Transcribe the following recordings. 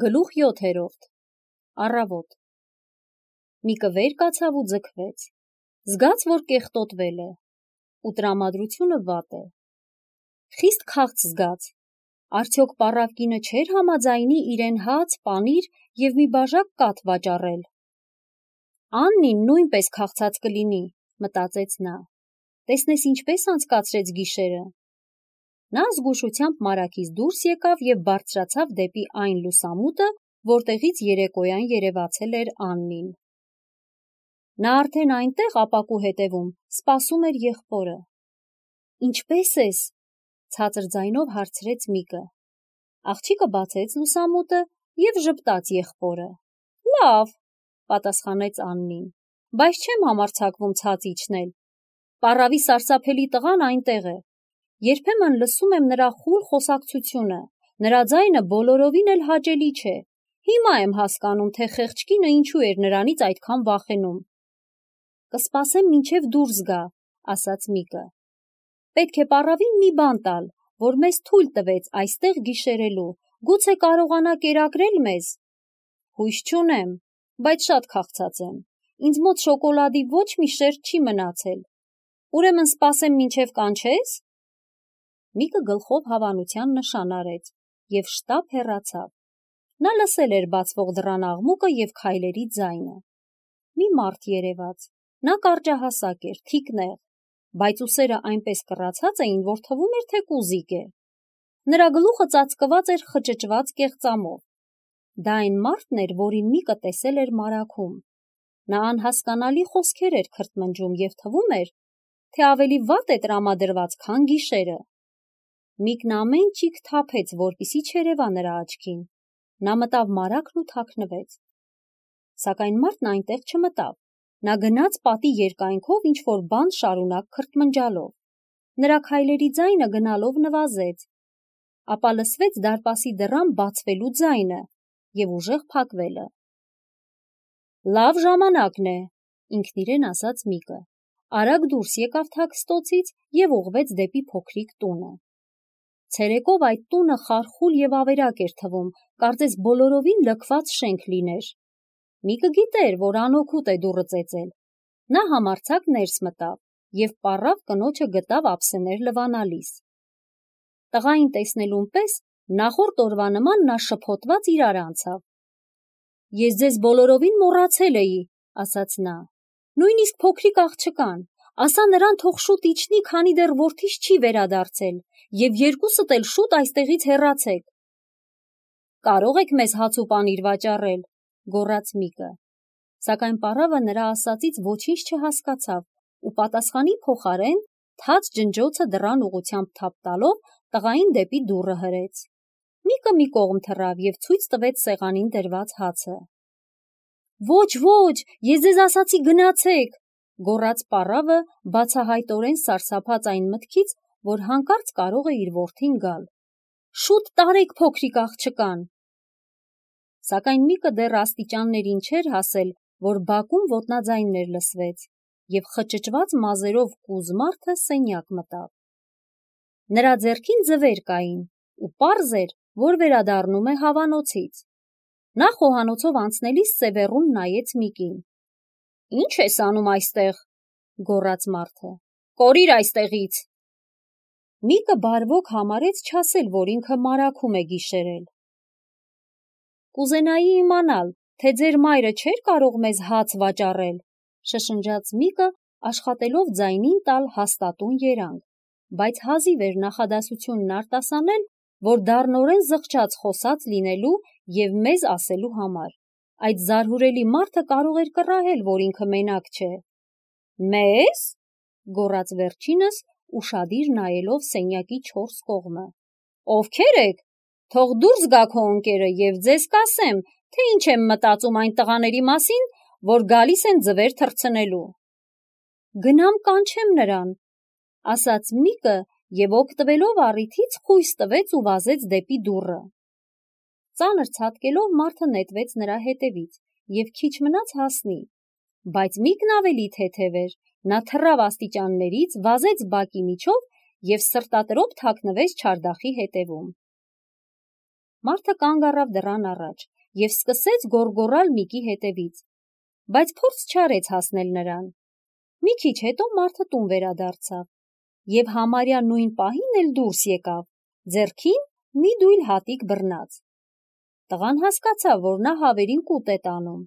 Գլուխ 7-րդ Առավոտ Միկը վեր կացավ ու ձգվեց, զգաց, որ կեղտոտվել է, ու տրամադրությունը վատ է, խիստ քաղց զգաց, արդյոք պառավ կինը չէր համաձայնի իրեն հաց, պանիր և մի բաժակ կաթ վաճառել: Աննին նույնպես քաղցած կլինի, մտածեց նա, տեսնես ինչպես անցկացրեց գիշերը: Նա զգուշությամբ մարաքից դուրս եկավ և բարձրացավ դեպի այն լուսամուտը, որտեղից երեկոյան երևացել էր Աննին: Նա արդեն այնտեղ ապակու հետևում սպասում էր եղբորը: Ինչպե՞ս ես, ցածր ձայնով հարցրեց Միկը: Աղջիկը բացեց լուսամուտը և ժպտաց եղբորը: Լավ, պատասխանեց Աննին, բայց չեմ համարձակվում ցած իջնել: Պառավի սարսափելի տղան այնտեղ է: Երբեմն լսում եմ նրա խուլ խոսակցությունը, նրա ձայնը բոլորովին էլ հաճելի չէ: Հիմա եմ հասկանում, թե խեղճ կինը ինչու էր նրանից այդքան վախենում: Կսպասեմ մինչև դուրս գա, ասաց Միկը: Պետք է պառավին մի բան տալ, որ մեզ թույլ տվեց այստեղ գիշերելու, գուցե կարողանա կերակրել մեզ: Հույս չունեմ, բայց շատ քաղցած եմ, ինձ մոտ շոկոլադի ոչ մի շերջ չի մնացել: Ուրեմն սպասեմ մինչև կանչե՞ս: Միկը գլխով հավանության նշան արեց և շտապ հեռացավ: Նա լսել էր բացվող դռան աղմուկը և քայլերի ձայնը: Մի մարդ երևաց: Նա կարճահասակ էր, թիկնեղ, բայց ուսերը այնպես կռացած էին, որ թվում էր, թե կուզիկ է: Նրա գլուխը ծածկված էր խճճված կեղծամով: Դա այն մարդն էր, որին Միկը տեսել էր մարաքում: Նա անհասկանալի խոսքեր էր քրթմնջում և թվում էր, թե ավելի վատ է տրամադրված, քան գիշերը: Միկն ամեն ճիգ թափեց, որպեսզի չերևա նրա աչքին: Նա մտավ մարաքն ու թաքնվեց: Սակայն մարդն այնտեղ չմտավ: Նա գնաց պատի երկայնքով ինչ-որ բան շարունակ քրթմնջալով: Նրա քայլերի ձայնը գնալով նվազեց: Ապա լսվեց դարպասի դռան բացվելու ձայնը և ուժեղ փակվելը: Լավ ժամանակն է, ինքն իրեն ասաց Միկը: Արագ դուրս եկավ թաքստոցից և ուղղվեց դեպի փոքրիկ տունը: Ցերեկով այդ տունը խարխուլ և ավերակ էր թվում, կարծես բոլորովին լքված շենք լիներ: Միկը գիտեր, որ անօգուտ է դուռը ծեծել: Նա համարձակ ներս մտավ և պառավ կնոջը գտավ ափսեներ լվանալիս: Տղային տեսնելուն պես նախորդ օրվա նման նա շփոթված իրար անցավ: Ես ձեզ բոլորովին մոռացել էի, ասաց նա: Նույնիսկ փոքրիկ աղջկան, ասա նրան թող շուտ իջնի, քանի դեռ որդիս չի վերադարձել և երկուսդ էլ շուտ այստեղից հեռացեք: Կարող եք մեզ հաց ու պանիր վաճառել, գոռաց Միկը: Սակայն պառավը նրա ասածից ոչինչ չհասկացավ ու պատասխանի փոխարեն թաց ջնջոցը դռան ուղղությամբ թափ տալով տղային դեպի դուռը հրեց: Միկը մի կողմ թռավ և ցույց տվեց սեղանին դրված հացը: Ոչ, ես ձեզ ասացի գնացեք, գոռաց պառավը բացահայտորեն սարսափած այն մտքից, որ հանկարծ կարող է իր որդին գալ: Շուտ տարեք փոքրիկ աղջկան: Սակայն Միկը դեռ աստիճաններին չէր հասել, որ բակում ոտնաձայններ լսվեց և խճճված մազերով կուզ մարդը սենյակ մտավ: Նրա ձեռքին ձվեր կային ու պարզ էր, որ վերադառնում է հավանոցից: Նա խոհանոցով անցնելիս սևեռուն նայեց Միկին: Ի՞նչ ես անում այստեղ, գոռաց մարդը, կորիր այստեղից: Միկը բարվոք համարեց չասել, որ ինքը մարաքում է գիշերել: Կուզենայի իմանալ, թե ձեր մայրը չէր կարող մեզ հաց վաճառել, շշնջաց Միկը, աշխատելով ձայնին տալ հաստատուն երանգ, բայց հազիվ էր նախադասությունն արտասանել, որ դառնորեն զղջաց խոսած լինելու և մեզ ասելու համար: Այդ զարհուրելի մարդը կարող էր կռահել, որ ինքը մենակ չէ: Մե՞զ, գոռաց վերջինս, ուշադիր նայելով սենյակի չորս կողմը: Ովքե՞ր եք, թող դուրս գա քո ընկերը և ձեզ կասեմ, թե ինչ եմ մտածում այն տղաների մասին, որ գալիս են ձվեր թռցնելու: Գնամ կանչեմ նրան, ասաց Միկը և օգտվելով առիթից խույս տվեց ու վազեց դեպի դուռը: Ծանր ցատկելով մարդը նետվեց նրա հետևից և քիչ մնաց հասնի: Բայց Միկն ավելի թեթև էր, նա թռավ աստիճաններից, վազեց բակի միջով և սրտատրոփ թաքնվեց չարդախի հետևում: Մարդը կանգ առավ դռան առաջ և սկսեց գոռգոռալ Միկի հետևից, բայց փորձ չարեց հասնել նրան։ Մի քիչ հետո մարդը տուն վերադարձավ և համարյա նույն պահին էլ դուրս եկավ, ձեռքին մի դույլ հատիկ բռնած։ Տղան հասկացավ, որ նա հավերին կուտ է տանում,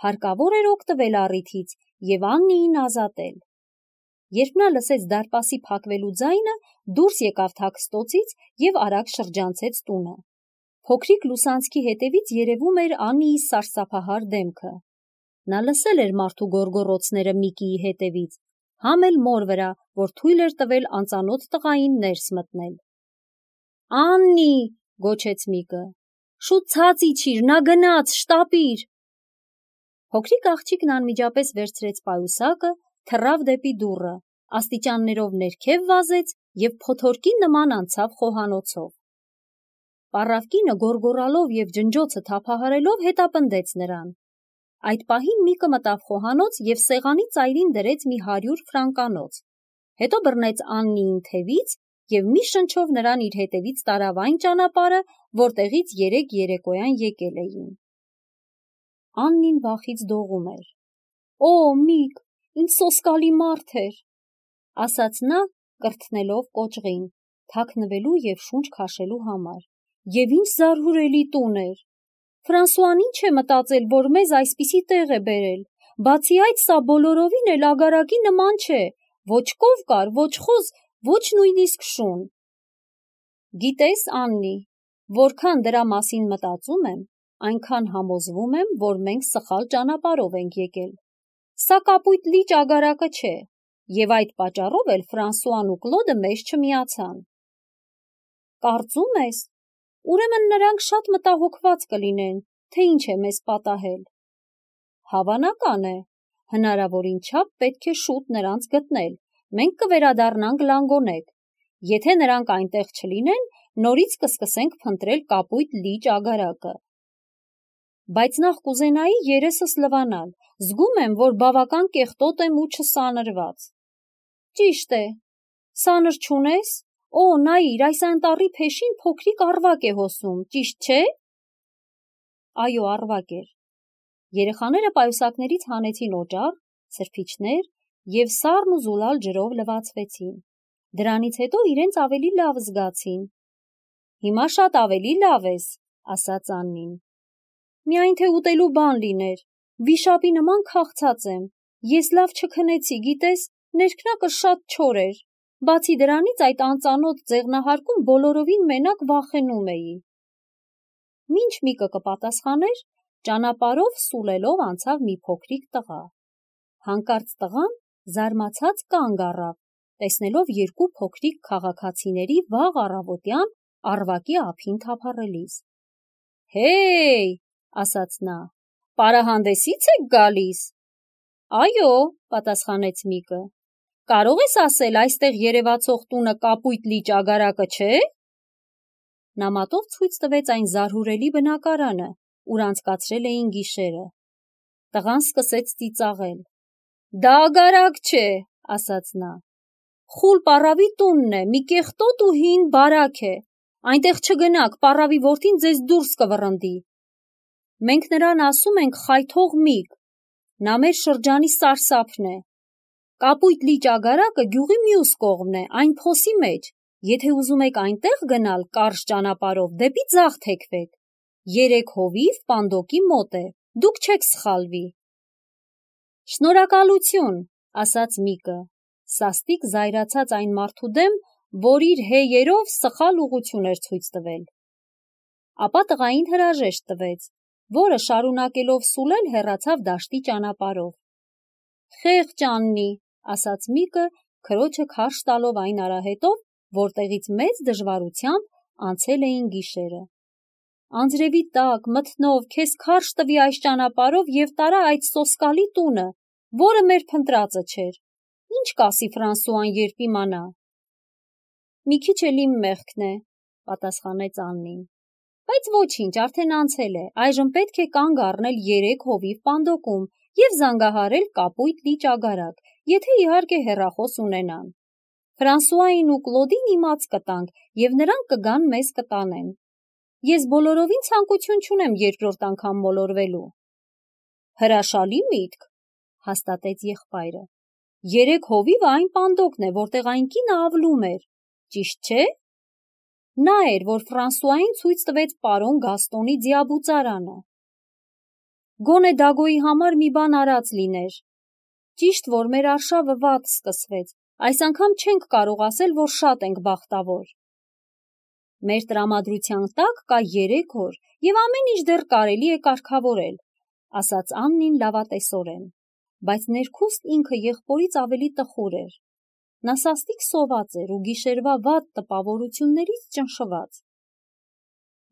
հարկավոր էր օգտվել առիթից և Աննիին ազատել։ Երբ նա լսեց դարպասի փակվելու ձայնը, դուրս եկավ թաքստոցից և արագ շրջանցեց տունը։ Փոքրիկ լուսանցքի հետևից երևում էր Աննիի սարսափահար դեմքը։ Նա լսել էր մարդու գոռգոռոցները Միկիի հետևից, համ էլ մոր վրա, որ թույլ էր տվել անծանոթ տղային ներս մտնել։ «Աննի», գոչեց Միկը, «շուտ ցած իջիր, նա գնաց, շտապիր»։ Փոքրիկ աղջիկն անմիջապես վերցրեց պայուսակը, թռավ դեպի դուռը, աստիճաններով ներքև վազեց և փոթորկի նման անցավ խոհանոցով։ Պառավ կինը գոռգոռալով և ջնջոցը թափահարելով հետապնդեց նրան։ Այդ պահին Միկը մտավ խոհանոց և սեղանի ծայրին դրեց մի 100 ֆրանկանոց, հետո բռնեց Աննիին թևից և մի շնչով նրան իր հետևից տարավ այն ճանապարհը, որտեղից երեկ երեկոյան եկել էին։ Աննին վախից դողում էր։ «Օ, Միկ, ինչ սոսկալի մարդ էր», ասաց նա, կրթնելով կոճղին, թաքնվելու և շունչ քաշելու համար։ «Եվ ինչ զարհուրելի տուն էր։ Ֆրանսուան ինչ է մտածել, որ մեզ այսպիսի տեղ է բերել։ Բացի այդ, սա բոլորովին էլ ագարակի նման չէ, ոչ կովկար, ոչ խոզ, ոչ նույնիսկ շուն»։ Գիտես, Աննի, որքան դրա մասին մտածում եմ, այնքան համոզվում եմ, որ մենք սխալ ճանապարհով ենք եկել։ Սա կապույտ լիճ ագարակը չէ, և այդ պատճառով էլ Ֆրանսուան ու Կլոդը մեզ չմիացան։ Կարծում ես, ուրեմն նրանք շատ մտահոգված կլինեն, թե ինչ է մեզ պատահել։ Հավանական է, հնարավորին չափ պետք է շուտ նրանց գտնել, մենք կվերադառնանք Լանգոնեկ։ Եթե նրանք այնտեղ չլինեն, նորից կսկսենք փնտրել կապույտ լիճ ագարակը։ Բայց նախ կուզենայի երեսս լվանալ, զգում եմ, որ բավական կեղտոտ եմ ու չսանրված։ Ճիշտ է, սանր չունես։ Օ, նայիր, այս անտառի փեշին փոքրիկ առվակ է հոսում, ճիշտ չէ։ Այո, առվակ էր։ Երեխաները պայուսակներից հանեցին օճառ, սրբիչներ և սառն ու զուլալ ջրով լվացվեցին։ Դրանից հետո իրենց ավելի լավ զգացին։ Հիմա շատ ավելի լավ ես, ասաց Աննին։ Միայն թե ուտելու բան լիներ, վիշապի նման քաղցած եմ, ես լավ չքնեցի, գիտես, ներքնակը շատ չոր էր, բացի դրանից այդ անծանոթ ձեղնահարկում բոլորովին մենակ վախենում էի։ Մինչ Միկը կպատասխաներ, ճանապարհով սուլելով անցավ մի փոքրիկ տղա։ Հանկարծ տղան զարմացած կանգ առավ, տեսնելով երկու փոքրիկ քաղաքացիների վաղ առավոտյան առվակի ափին թափառելիս։ Հեյ, ասաց նա, պարահանդեսի՞ց եք գալիս։ Այո, պատասխանեց Միկը։ Կարող ես ասել, այստեղ երևացող տունը կապույտ լիճ ագարակը չէ։ Նա մատով ցույց տվեց այն զարհուրելի բնակարանը, ուր անցկացրել էին գիշերը։ Տղան սկսեց ծիծաղել։ Դա ագարակ չէ, ասաց նա։ Խուլ պառավի տունն է, մի կեղտոտ ու հին բարակ է։ Այնտեղ չգնաք, պառավի որդին ձեզ դուրս կվռնդի։ Մենք նրան ասում ենք խայթող Միկ։ Նա մեր շրջանի սարսափն է։ Կապույտ լիճ ագարակը գյուղի մյուս կողմն է, այն փոսի մեջ։ Եթե ուզում եք այնտեղ գնալ կարճ ճանապարհով, դեպի ձախ թեքվեք։ 3 հովիվ Պանդոկի մոտ է, դուք չեք սխալվի։ Շնորհակալություն, ասաց Միկը, սաստիկ զայրացած այն մարդու դեմ, որ իր հեյերով սխալ ուղղություն էր ցույց տվել։ Ապա տղային հրաժեշտ տվեց, որը շարունակելով սուլել հեռացավ դաշտի ճանապարհով։ Խեղճ Աննի, ասաց Միկը, քրոջը քարշ տալով այն արահետով, որտեղից մեծ դժվարությամբ անցել էին գիշերը։ Անձրևի տակ, մթնով, քեզ քարշ տվի այս ճանապարհով և տարա այդ սոսկալի տունը, որը մեր փնտրածը չէր։ Ինչ կասի Ֆրանսուան, երբ իմանա։ Մի քիչ էլ իմ մեղքն է, պատասխանեց Աննին։ Բայց ոչինչ, արդեն անցել է, այժմ պետք է կանգ առնել 3 հովիվ Պանդոկում և զանգահարել կապույտ լիճ ագարակ, եթե իհարկե հեռախոս ունենան։ Ֆրանսուային ու Կլոդին իմաց կտանք, և նրանք կգան մեզ կտանեն։ Ես բոլորովին ցանկություն չունեմ երկրորդ անգամ մոլորվելու։ Հրաշալի միտք, հաստատեց եղբայրը։ 3 հովիվը այն պանդոկն է, որտեղ այն կինը ավլում էր, ճիշտ չէ։ Նա էր, որ Ֆրանսուային ցույց տվեց պարոն Գաստոնի ձիաբուծարանը։ Գոնե Դագոյի համար մի բան արած լիներ։ Ճիշտ որ մեր արշավը վատ սկսվեց, այս անգամ չենք կարող ասել, որ շատ ենք բախտավոր։ Մեր տրամադրության տակ կա 3 օր և ամեն ինչ դեռ կարելի է կարգավորել, ասաց Աննին լավատեսորեն, բայց ներքուստ ինքը եղբորից ավելի տխուր էր։ Նա սաստիկ սոված էր ու գիշերվա վատ տպավորություններից ճնշված։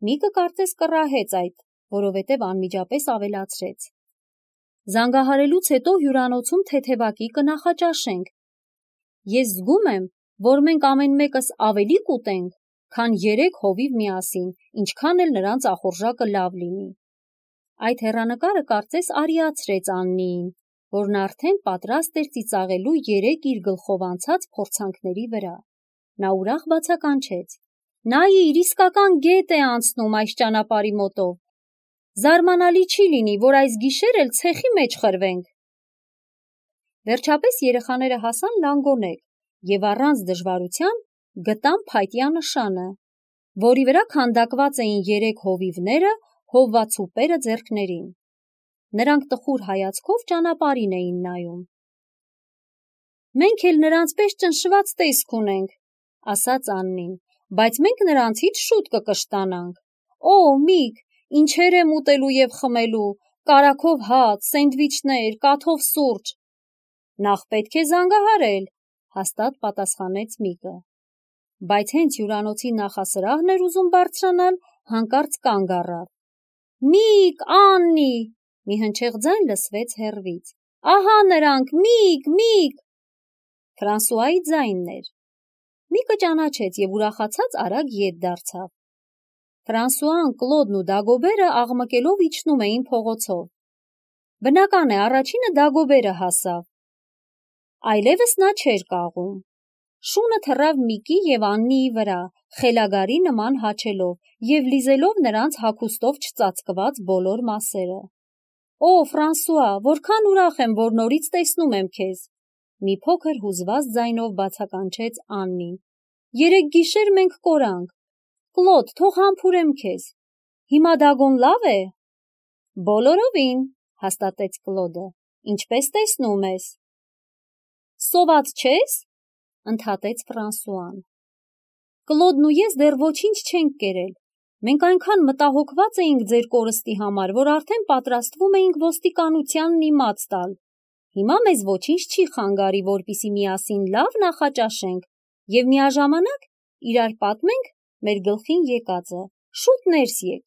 Միկը կարծես կռահեց այդ, որովհետև անմիջապես ավելացրեց. Զանգահարելուց հետո հյուրանոցում թեթևակի կնախաճաշենք։ Ես զգում եմ, որ մենք ամեն մեկս ավելի կուտենք, քան 3 հովիվ միասին, ինչքան էլ նրանց ախորժակը լավ լինի։ Այդ հեռանկարը կարծես արիացրեց Աննիին, որն արդեն պատրաստ էր ծիծաղելու 3 իր գլխով անցած փորձանքների վրա։ Նա ուրախ բացականչեց. Նայիր, իսկական գետ է անցնում այս ճանապարհի մոտով։ Զարմանալի չի լինի, որ այս գիշեր էլ ցեխի մեջ խրվենք։ Վերջապես երեխաները հասան լանգոնեկ և առանց դժվարության գտան փայտյա նշանը, որի վրա քանդակված էին 3 հովիվները, հովվածուպերը ձեռքներին։ Նրանք տխուր հայացքով ճանապարհին էին նայում։ Մենք էլ նրանց պես ճնշված տեսք ունենք, ասաց Աննին, բայց մենք նրանցից շուտ կկշտանանք։ Օ, Միք, ինչեր եմ ուտելու և խմելու, կարագով հաց, սենդվիչներ, կաթով սուրճ։ Նախ պետք է զանգահարել, հաստատ պատասխանեց Միկը։ Բայց հենց հյուրանոցի նախասրահն էր ուզում բարձրանալ, հանկարծ կանգ առավ։ Միք, Աննի, մի հնչեղ ձայն լսվեց հեռվից։ Ահա նրանք, Միք։ Ֆրանսուայի ձայնն էր։ Միկը ճանաչեց և ուրախացած արագ ետ դարձավ։ Ֆրանսուան, Կլոդն ու Դագոբերը աղմկելով իջնում էին փողոցով։ Բնական է, առաջինը Դագոբերը հասավ։ Այլևս նա չէր կաղում։ Շունը թռավ Միկի և Աննիի վրա, խելագարի նման հաչելով և լիզելով նրանց հագուստով չծածկված բոլոր մասերը։ Օ, Ֆրանսուա, որքան ուրախ եմ, որ նորից տեսնում եմ քեզ, մի փոքր հուզված ձայնով բացականչեց Աննին։ 3 գիշեր մենք կորանք։ Կլոդ, թող համբուրեմ քեզ։ Հիմա Դագոն լավ է։ Բոլորովին, հաստատեց Կլոդը։ Ինչպես տեսնում ես։ Սոված չես, ընդհատեց Ֆրանսուան։ Կլոդն ու ես դեռ ոչինչ չենք կերել։ Մենք այնքան մտահոգված էինք ձեր կորստի համար, որ արդեն պատրաստվում էինք ոստիկանությանն իմաց տալ։ Հիմա մեզ ոչինչ չի խանգարի, որպեսզի միասին լավ նախաճաշենք և միաժամանակ իրար պատմենք մեր գլխին եկածը։ Շուտ ներս եկ։